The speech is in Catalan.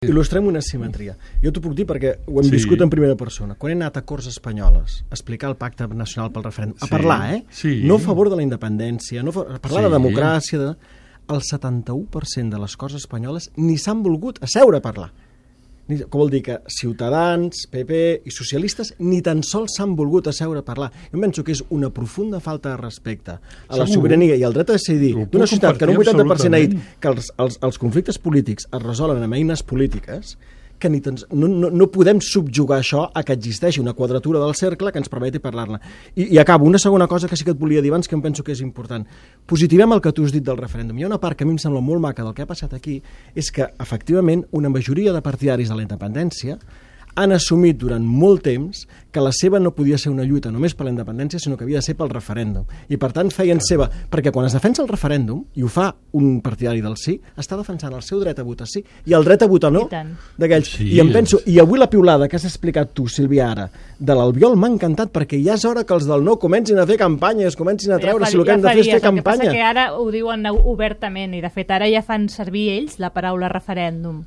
Il·lustrem una simetria. Jo t'ho puc dir perquè ho hem viscut en primera persona. Quan he anat a Corts Espanyoles a explicar el Pacte Nacional pel Referèndum, a parlar, no a favor de la independència, no a parlar de democràcia, el 71% de les Corts Espanyoles ni s'han volgut asseure a parlar. Què vol dir? Que Ciutadans, PP i socialistes ni tan sols s'han volgut asseure a parlar. Jo penso que és una profunda falta de respecte a la sobirania i al dret a decidir d'una societat que en un 80% ha dit que els conflictes polítics es resolen amb eines polítiques, que no podem subjugar això a que existeixi una quadratura del cercle que ens permeti parlar-ne. I acabo, una segona cosa que sí que et volia dir abans, que em penso que és important. Positivem el que tu has dit del referèndum. Hi ha una part que a mi em sembla molt maca del que ha passat aquí, és que, efectivament, una majoria de partidaris de la independència han assumit durant molt temps que la seva no podia ser una lluita només per la independència, sinó que havia de ser pel referèndum. I, per tant, feien seva... Perquè quan es defensa el referèndum, i ho fa un partidari del sí, està defensant el seu dret a votar sí i el dret a votar no d'aquells. I em penso, i avui la piulada que has explicat tu, Sílvia, ara, de l'Albiol m'ha encantat, perquè ja és hora que els del no comencin a fer campanya, es comencin a treure si el que han de fer és fer campanya. El que passa que ara ho diuen obertament, i de fet ara ja fan servir ells la paraula referèndum.